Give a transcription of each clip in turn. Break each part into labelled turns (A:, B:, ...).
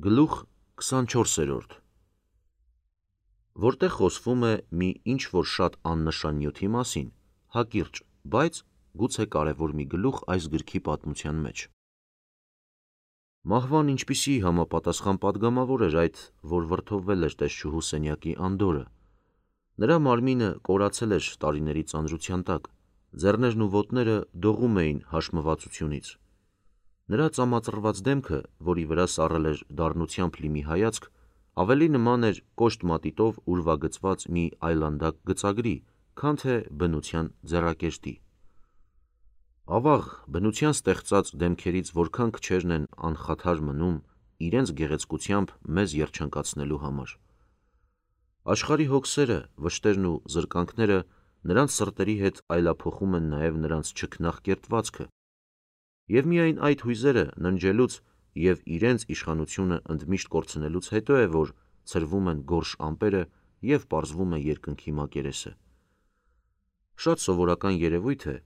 A: Գլուխ 24-րդ Որտեղ խոսվում է մի ինչ-որ շատ աննշան նյութի մասին, հակիրճ, բայց գուցե կարևոր մի գլուխ այս գրքի պատմության մեջ։ Մահվան ինչպիսի համապատասխան պատգամավոր էր այդ, որ վրդովվել էր տեսչուհու սենյակի անդորը։ Նրա մարմինը կորացել էր տարիների ծանրության տակ, ձեռներն ու ոտները դողում էին հաշմվածությունից։ Նրա ծամածռված դեմքը, որի վրա սառել էր դառնությամբ լի մի հայացք, ավելի նման էր կոշտ մատիտով ուրվագծված մի այլանդակ գծագրի, քան թե բնության ձեռակերտի։ Ավաղ, բնության ստեղծած դեմքերից որքան քչերն են անխաթար մնում իրենց գեղեցկությամբ մեզ երջանկացնելու համար։ Աշխարհի հոգսերը, վշտերն ու զրկանքները նրանց սրտերի հետ այլափոխում են նաև նրանց չքնաղ կերտվածքը, և միայն այդ հույզերը ննջելուց և իրենց իշխանությունը ընդմիշտ կորցնելուց հետո է, որ ցրվում են գորշ ամպերը և պարզվում է երկնքի մակերեսը։ Շատ սովորական երևույթ է,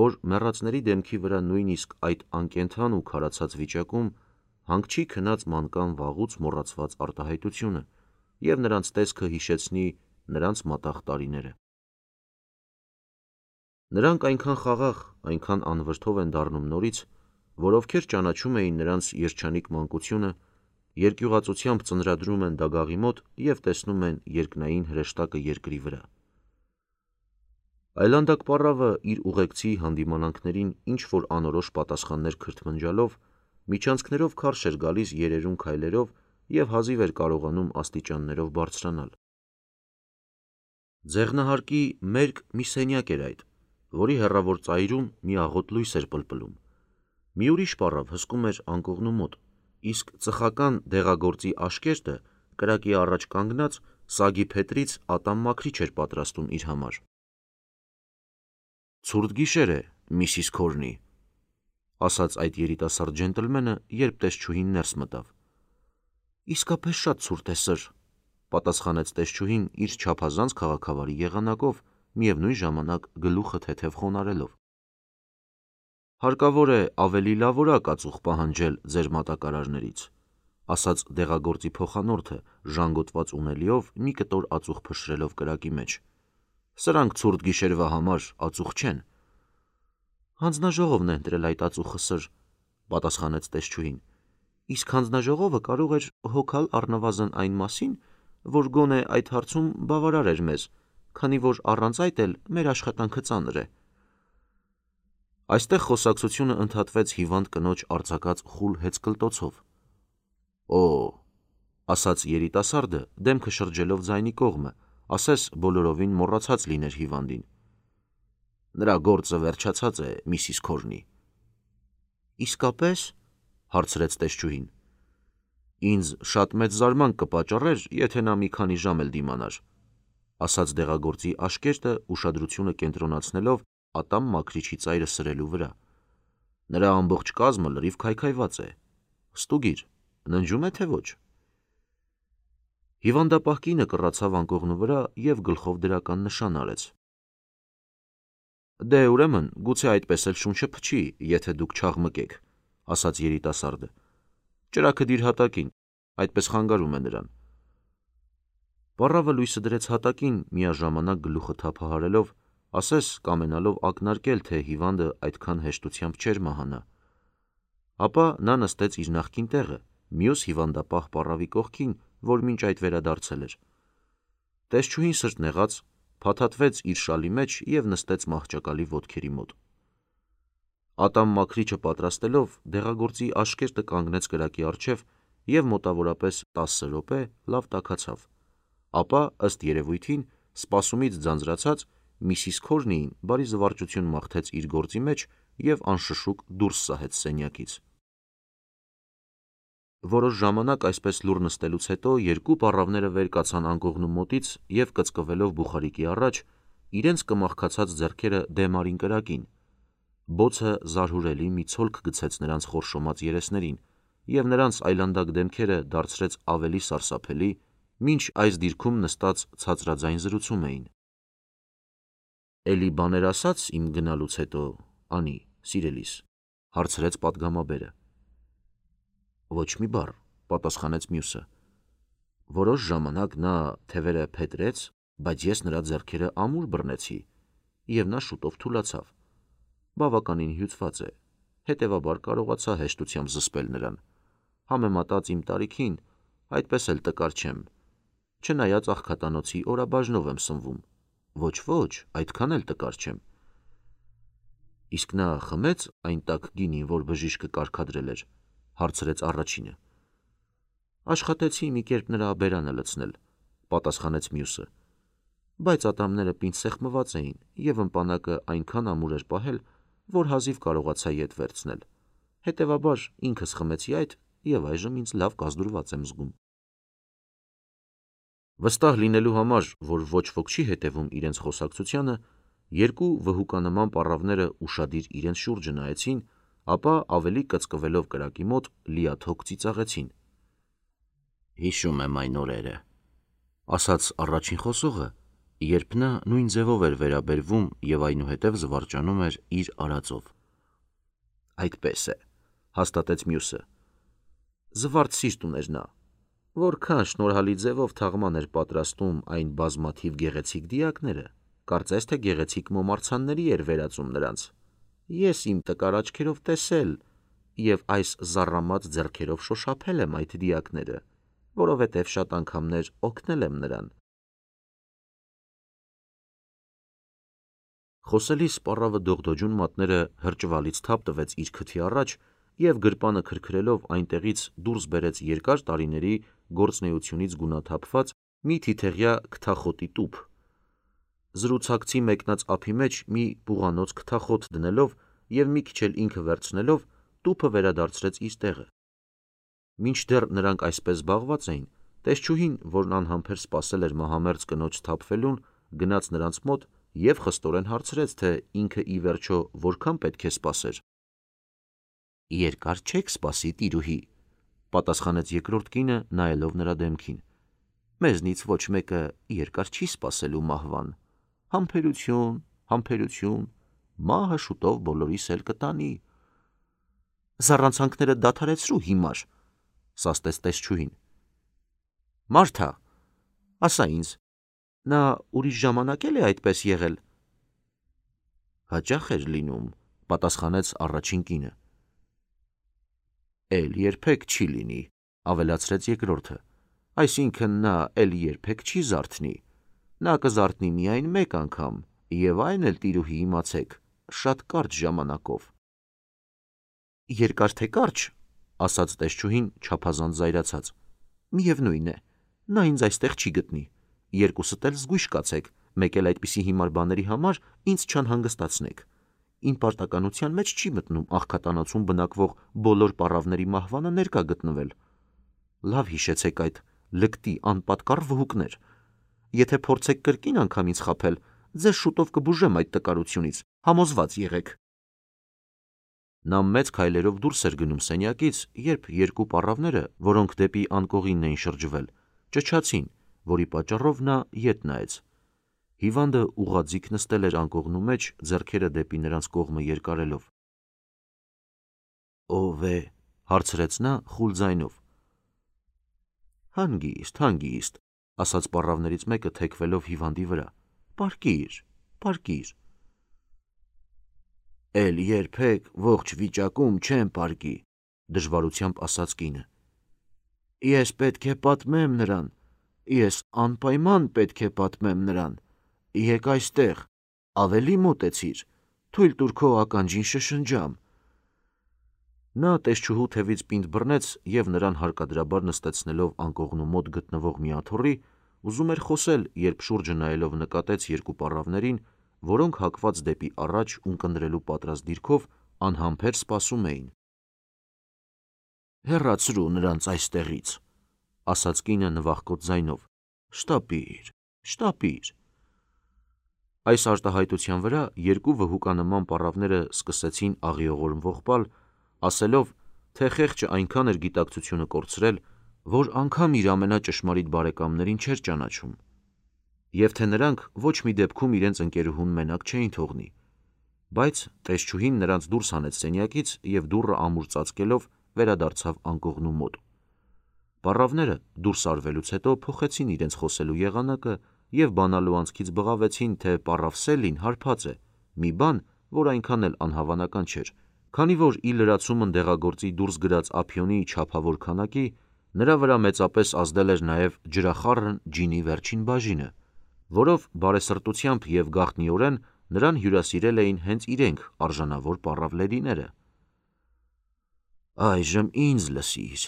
A: որ մեռածների դեմքի վրա նույնիսկ այդ անկենդան ու քարացած վիճակում հանգչի քնած մանկան վաղուց մոռացված արտահայտությունը և նրանց տեսքը հիշեցնի նրանց մատաղ տարիները։ Նրանք այնքան խաղաղ, այնքան անվրդով են դառնում նորից, որ ովքեր ճանաչում էին նրանց երջանիկ մանկությունը, երկյուղածությամբ ծնրադրում են դագաղի մոտ և տեսնում են երկնային հրեշտակը երկրի վրա։ Այլանդակ պառավը իր ուղեկցի հանդիմանանքներին ինչ-որ անորոշ պատասխաններ քրթմնջալով, միջանցքներով քարշ էր գալիս երերուն քայլերով և հազիվ էր կարողանում աստիճաններով բարձրանալ։ Ձեղնահարկի մերկ մի սենյակ էր այդ, որի հեռավոր ծայրում մի աղոտ լույս էր պլպլում։ Մի ուրիշ պառավ հսկում էր անկողնու մոտ, իսկ ծխական դեղագործի աշկերտը կրակի առաջ կանգնած սագի փետրից ատամ մաքրիչ էր պատրաստում իր համար։ «Ցուրտ գիշեր է, Միսիս Քորնի», ասաց այդ երիտասարդ ջենտլմենը, երբ տեսչուհին ներս մտավ։ «Իսկապես շատ ցուրտ է, սըր», պատասխանեց տեսչուհին իր չափազանց քաղաքավարի եղանակով, միևնույն ժամանակ գլուխը թեթև խոնարհելով։ «Հարկավոր է ավելի լավորակ ածուխ պահանջել ձեր մատակարարներից», ասաց դեղագործի փոխանորդը, ժանգոտված ունելիով մի կտոր ածուխ փշրելով կրակի մեջ։ «Սրանք ցուրտ գիշերվա համար ածուխ չեն»։ «Հանձնաժողովն է ընտրել այդ ածուխը, սըր», պատասխանեց տեսչուհին։ «Իսկ հանձնաժողովը կարող էր հոգալ առնվազն այն մասին, որ գոնե այդ հարցում բավարար էր մեզ, քանի որ առանց այդ էլ մեր աշխատանքը ծանր է»։ Այստեղ խոսակցությունը ընդհատվեց հիվանդ կնոջ արձակած խուլ հեծկլտոցով։ «Օ՜», ասաց երիտասարդը, դեմքը շրջելով ձայնի կողմը, ասես բոլորովին մոռացած լիներ հիվանդին։ «Նրա գործը վերջացած է, Միսիս Քորնի»։ «Իսկապե՞ս», հարցրեց տեսչուհին։ «Ինձ շատ մեծ զարմանք կպատճառեր, եթե նա մի քանի ժամ էլ դիմանար», ասաց դեղագործի աշկերտը, ուշադրությունը կենտրոնացնելով ատամ մաքրիչի ծայրը սրելու վրա։ «Նրա ամբողջ կազմը լրիվ քայքայված է։ Ստուգիր, ննջում է, թե ոչ»։ Հիվանդապահ կինը կռացավ անկողնու վրա և գլխով դրական նշան արեց։ «Դե, ուրեմն, գուցե այդպես էլ շունչը փչի, եթե դուք չաղմկեք», ասաց երիտասարդը։ «Ճրագը դիր հատակին, այդպես խանգարում է նրան»։ Պառավը լույսը դրեց հատակին, միաժամանակ գլուխը թափահարելով, ասես կամենալով ակնարկել, թե հիվանդը այդքան հեշտությամբ չէր մահանա։ Ապա նա նստեց իր նախկին տեղը, մյուս հիվանդապահ պառավի կողքին, որ մինչ այդ վերադարձել էր։ Տեսչուհին սրտնեղաց, փաթաթվեց իր շալի մեջ և նստեց մահճակալի ոտքերի մոտ։ Ատամ մաքրիչը պատրաստելով, դեղագործի աշկերտը կանգնեց կրակի առջև և մոտավորապես 10 րոպե լավ տաքացավ։ Ապա, ըստ երևույթին, սպասումից ձանձրացած, Միսիս Քորնիին բարի զվարճություն մաղթեց իր գործի մեջ և անշշուկ դուրս սահեց սենյակից։ Որոշ ժամանակ այսպես լուռ նստելուց հետո երկու պառավները վեր կացան անկողնու մոտից և կծկվելով բուխարիկի առաջ, իրենց կմախքացած ձեռքերը դեմ արին կրակին։ Բոցը զարհուրելի մի ցոլք գցեց նրանց խորշոմած երեսներին, և նրանց այլանդակ դեմքերը դարձրեց ավելի սարսափելի, մինչ այս դիրքում նստած ցածրաձայն զրուցում էին։ «Էլի բաներ ասաց իմ գնալուց հետո, Անի, սիրելիս», հարցրեց պատգամաբերը։ «Ոչ մի բառ, պատասխանեց մյուսը։ Որոշ ժամանակ նա թևերը փետրեց, բայց ես նրա ձեռքերը ամուր բռնեցի, և նա շուտով թուլացավ։ Բավականին հյուծված է, հետևաբար կարողացա հեշտությամբ զսպել նրան։ Համեմատած իմ տարիքին, այդպես էլ տկար չեմ, չնայած աղքատանոցի օրաբաժնով եմ սնվում, ոչ, այդքան էլ տկար չեմ։ Իսկ նա խմեց այն տաք գինին, որ բժիշկը կարգադրել էր, հարցրեց առաջինը։ Աշխատեցի մի կերպ նրա բերանը լցնել, պատասխանեց մյուսը, բայց ատամները պինդ սեղմված էին և ըմպանակը այնքան ամուր էր պահել, որ հազիվ կարողացա ետ վերցնել, հետևաբար ինքս խմեցի այդ և այժմ ինձ լավ կազդուրված եմ զգում։ Վստահ լինելու համար, որ ոչ ոք չի հետևում իրենց խոսակցությանը, երկու վհուկանման պառավները ուշադիր իրենց շուրջը նայեցին, ապա ավելի կծկվելով կրակի մոտ լիաթոք ծիծաղեցին։ Հիշում եմ այն օրերը, ասաց առաջին խոսողը, երբ նա նույն ձևով էր վերաբերվում և այնուհետև զվարճանում էր իր արածով։ Այդպես է, հաստատեց մյուսը։ Զվարթ սիրտ ուներ նա, որքան շնորհալի ձևով թաղման էր պատրաստում այն բազմաթիվ գեղեցիկ դիակները, կարծես թե գեղեցիկ մոմարցանների էր վերածում նրանց։ Ես իմ տկար աչքերով տեսել և այս զառամած ձեռքերով շոշափել եմ այդ դիակները, որովհետև շատ անգամներ օգնել եմ նրան։ Խոսելիս պառավը դողդոջուն մատները հրճվալից թափ տվեց իր քթի առաջ և գրպանը քրքրելով այնտեղից դուրս բերեց երկար տարիների գործունեությունից գունաթափված մի թիթեղյա քթախոտի տուփ։ Զրուցակցի մեկնած ափի մեջ մի պուղանոց քթախոտ դնելով և մի քիչ էլ ինքը վերցնելով, տուփը վերադարձրեց իր տեղը։ Մինչդեռ նրանք այսպես զբաղված էին, տեսչուհին, որն անհամբեր սպասել էր մահամերձ կնոջ սթափվելուն, գնաց նրանց մոտ և խստորեն հարցրեց, թե ինքը ի վերջո որքան պետք է սպասեր։ Երկար չեք սպասի, տիրուհի, պատասխանեց երկրորդ կինը, նայելով նրա դեմքին։ Մեզնից ոչ մեկը երկար չի սպասելու մահվան։ Համբերություն, համբերություն, մահը շուտով բոլորիս էլ կտանի։ Զառանցանքները դադարեցրու հիմար, սաստեց տեսչուհին։ Մարթա, ասա ինձ, նա ուրիշ ժամանակ էլ է այդպես եղել։ Հաճախ էր լինում, պատասխանեց առաջին կինը։ Էլ երբեք չի լինի, ավելացրեց երկրորդը, այսինքն նա էլ երբեք չի զարթնի, նա կզարթնի միայն մեկ անգամ, և այն էլ, տիրուհի, իմացեք, շատ կարճ ժամանակով։ Երկար թե կարճ, ասաց տեսչուհին չափազանց զայրացած, միևնույն է, նա ինձ այստեղ չի գտնի, երկուսդ էլ զգույշ կացեք, մեկ էլ այդպիսի հիմար բաների համար ինձ չանհանգստացնեք։ Իմ պարտականության մեջ չի մտնում աղքատանոցում բնակվող բոլոր պառավների մահվանը ներկա գտնվել։ Լավ հիշեցեք այդ, լկտի անպատկառ վհուկներ։ Եթե փորձեք կրկին անգամ ինձ խաբել, ձեզ շուտով կբուժեմ այդ տկարությունից, համոզված եղեք։ Նա մեծ քայլերով դուրս էր գնում սենյակից, երբ երկու պառավները, որոնք դեպի անկողինն էին շրջվել, ճչացին, որի պատճառով նա ետ նայեց։ Հիվանդը ուղղաձիգ նստել էր անկողնու մեջ, ձեռքերը դեպի նրանց կողմը երկարելով։ Ո՞վ է, հարցրեց նա խուլ ձայնով։ Հանգիստ, ասաց պառավներից մեկը թեքվելով հիվանդի վրա։ Պառկիր։ Էլ երբեք ողջ վիճակում չեմ պառկի, դժվարությամբ ասաց կինը։ Ես պետք է պատմեմ նրան, ես անպայման պետք է պատմեմ նրան, եկ այստեղ, ավելի մոտեցիր, թույլ տուր քո ականջին շշնջամ։ Նա տեսչուհու թևից պինդ բռնեց և նրան հարկադրաբար նստեցնելով անկողնու մոտ գտնվող մի աթոռի, ուզում էր խոսել, երբ շուրջը նայելով նկատեց երկու պառավներին, որոնք հակված դեպի առաջ ունկնդրելու պատրաստ դիրքով անհամբեր սպասում էին։ Հեռացրու նրանց այստեղից, ասաց կինը նվախկոտ ձայնով, շտապիր։ Այս արտահայտության վրա երկու վհուկանման պառավները սկսեցին աղիողորմվող պալ, ասելով, թե խեղճը այնքան էր գիտակցությունը կորցրել, որ անգամ իր ամենաճշմարիտ բարեկամներին չէր ճանաչում, և թե նրանք ոչ մի դեպքում իրենց ընկերուհուն մենակ չէին թողնի, բայց տեսչուհին նրանց դուրս հանեց սենյակից և դուռը ամուր ծածկելով վերադարձավ անկողնու մոտ։ Պառավները դուրս արվելուց հետո փոխեցին իրենց խոսելու եղանակը և բանալու անցքից բղավեցին, թե պառավ Սելլին հարբած է, մի բան, որ այնքան էլ անհավանական չէր, քանի որ ի լրացումն դեղագործի դուրս գրած ափիոնի չափավոր քանակի, նրա վրա մեծապես ազդել էր նաև ջրախառն ջինի վերջին բաժինը, որով բարեսրտությամբ և գաղտնիորեն նրան հյուրասիրել էին հենց իրենք արժանավոր պառավլերիները։ «Այժմ ինձ լսիր»,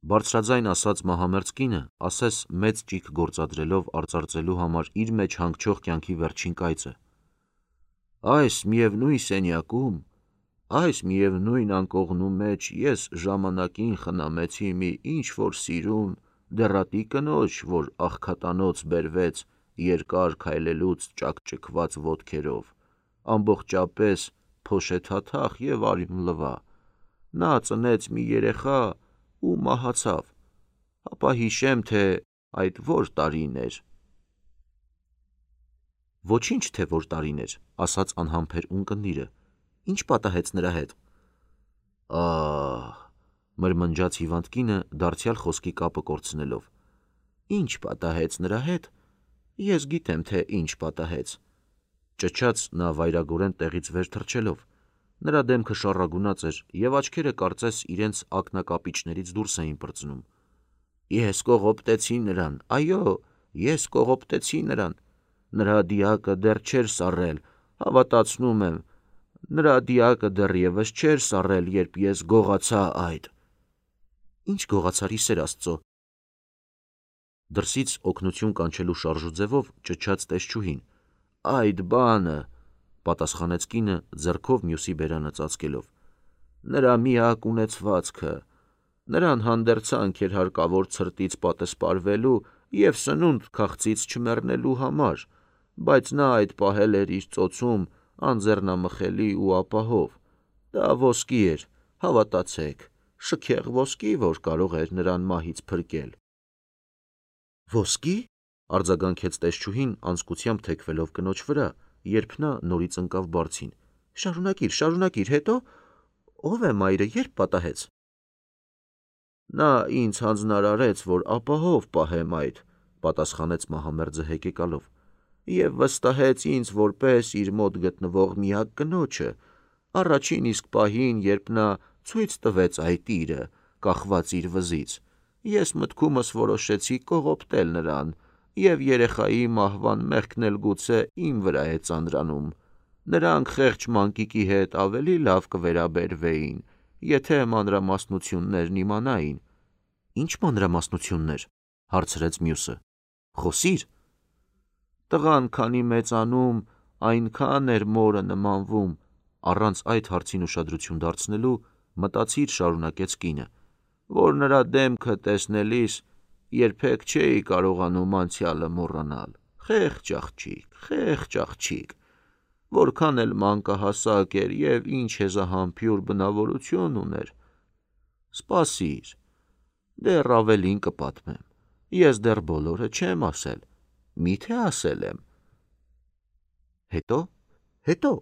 A: բարձրաձայն ասաց մահամերձ կինը, ասես մեծ ճիգ գործադրելով արծարծելու համար իր մեջ հանգչող կյանքի վերջին կայծը։ «Այս միևնույն սենյակում, այս միևնույն անկողնու մեջ ես ժամանակին խնամեցի մի ինչ-որ սիրուն, դեռատի կնոջ, որ աղքատանոց բերվեց երկար քայլելուց ճաքճքված ոտքերով, ամբողջապես փոշեթաթախ և արյունլվա, նա ծնեց մի երեխա ու մահացավ, հապա հիշեմ, թե այդ որ տարին էր»։ «Ոչինչ, թե որ տարին էր», ասաց անհամբեր ունկնդիրը, «ինչ պատահեց նրա հետ»։ «Ահ», մրմնջաց հիվանդ կինը դարձյալ խոսքի կապը կորցնելով, «ինչ պատահեց նրա հետ, ես գիտեմ, թե ինչ պատահեց», ճչաց նա վայրագորեն տեղից վեր թռչելով, նրա դեմքը շառագունած էր և աչքերը կարծես իրենց ակնակապիճներից դուրս էին պրծնում։ «Ես կողոպտեցի նրան, այո, ես կողոպտեցի նրան, նրա դիակը դեռ չէր սառել, հավատացնում եմ, նրա դիակը դեռևս չէր սառել, երբ ես գողացա այդ»։ «Ինչ գողացար, ի սեր Աստծո»։ Դրսից օգնություն կանչելու շարժուձևով ճչաց տեսչուհին։ «Այդ բանը», պատասխանեց կինը ձեռքով մյուսի բերանը ծածկելով, «նրա միակ ունեցվածքը, նրան հանդերձանք էր հարկավոր ցրտից պատսպարվելու և սնունդ քաղցից չմեռնելու համար, բայց նա այդ պահել էր իր ծոցում անձեռնամխելի ու ապահով, դա ոսկի էր, հավատացեք, շքեղ ոսկի, որ կարող էր նրան մահից փրկել»։ «Ոսկի՞», արձագանքեց տեսչուհին անձկությամբ թեքվելով կնոջ վրա, երբ նա նորից ընկավ բարձին, շարունակիր, հետո՞, ով է մայրը, երբ պատահեց»։ «Նա ինձ հանձնարարեց, որ ապահով պահեմ այդ», պատասխանեց մահամերձը հեկեկալով, «և վստահեց ինձ որպես իր մոտ գտնվող միակ կնոջը, առաջին իսկ պահին, երբ նա ցույց տվեց այդ իրը, կախված իր վզից, ես մտքումս որոշեցի կողոպտել նրան, և երեխայի մահվան մեղքն էլ գուցե իմ վրա է ծանրանում, նրանք խեղճ մանկիկի հետ ավելի լավ կվերաբերվեին, եթե մանրամասնություններն իմանային»։ «Ինչ մանրամասնություններ», հարցրեց մյուսը, «խոսիր»։ «Տղան քանի մեծանում, այնքան էր մորը նմանվում», առանց այդ հարցին ուշադրություն դարձնելու, մտածիր շարունակեց կինը, «որ նրա դեմքը տեսնելիս երբեք չէի կարողանում անցյալը մոռանալ, խեղճ աղջիկ, որքան էլ մանկահասակ էր և ինչ հեզահամբյուր բնավորություն ուներ։ Սպասիր, դեռ ավելին կպատմեմ, ես դեռ բոլորը չեմ ասել, միթե ասել եմ»։ «Հետո»,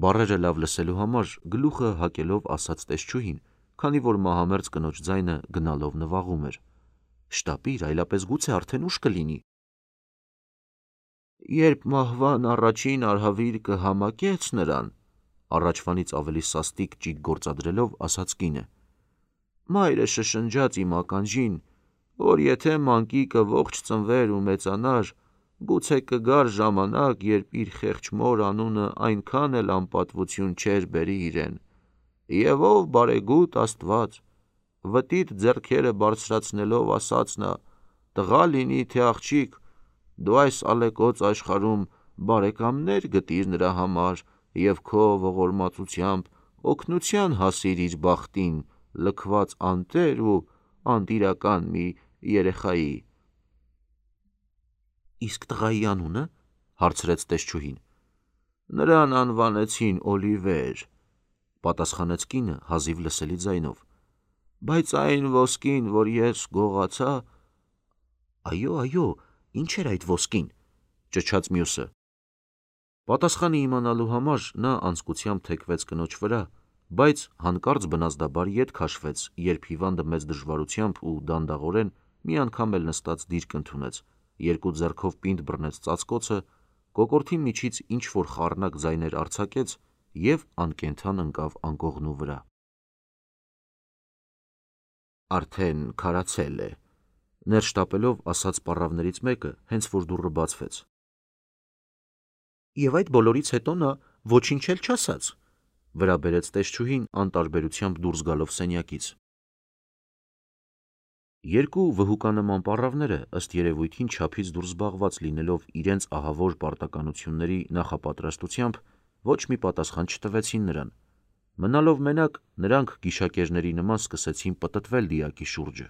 A: բառերը լավ լսելու համար գլուխը հակելով ասաց տեսչուհին, քանի որ մահամերձ կնոջ ձայնը գնալով նվաղում էր, «Շտապիր, այլապես գուցե արդեն ուշ կլինի»։ «Երբ մահվան առաջին արհավիրքը համակեց նրան», առաջվանից ավելի սաստիկ ճիգ գործադրելով ասաց կինը, «մայրը շշնջաց իմ ականջին, որ եթե մանկիկը ողջ ծնվեր ու մեծանար, գուցե կգար ժամանակ, երբ իր խեղճ մոր անունը այնքան էլ անպատվություն չէր բերի իրեն, և ով բարեգութ Աստված, վտիտ ձեռքերը բարձրացնելով ասաց նա, տղա լինի թե աղջիկ, դու այս ալեկոծ աշխարհում բարեկամներ գտիր նրա համար և քո ողորմածությամբ օգնության հասիր իր բախտին լքված անտեր ու անդիրական մի երեխայի»։ «Իսկ տղայի անունը», հարցրեց տեսչուհին։ «Նրան անվանեցին Օլիվեր», պատասխանեց կինը հազիվ լսելի ձայնով, «բայց այն ոսկին, որ ես գողացա»։ «Այո, ինչ էր այդ ոսկին», ճչաց մյուսը։ Պատասխանը իմանալու համար նա անձկությամբ թեքվեց կնոջ վրա, բայց հանկարծ բնազդաբար ետ քաշվեց, երբ հիվանդը մեծ դժվարությամբ ու դանդաղորեն մի անգամ էլ նստած դիրք ընդունեց, երկու ձեռքով պինդ բռնեց ծածկոցը, կոկորդի միջից ինչ-որ խառնակ ձայներ արձակեց և անկենդան ընկավ անկողնու վրա։ Արդեն քարացել է, ներս շտապելով ասաց պառավներից մեկը, հենց որ դուռը բացվեց։ Եվ այդ բոլորից հետո նա ոչինչ էլ չասաց, վրա բերեց տեսչուհին անտարբերությամբ դուրս գալով սենյակից։ Երկու վհուկանման պառավները ըստ երևույթին չափից դուրս զբաղված լինելով իրենց ահավոր պարտականությունների նախապատրաստությամբ ոչ մի պատասխան չտվեցին նրան։ Մնալով մենակ, նրանք գիշակերների նման սկսեցին պտտվել դիակի շուրջը։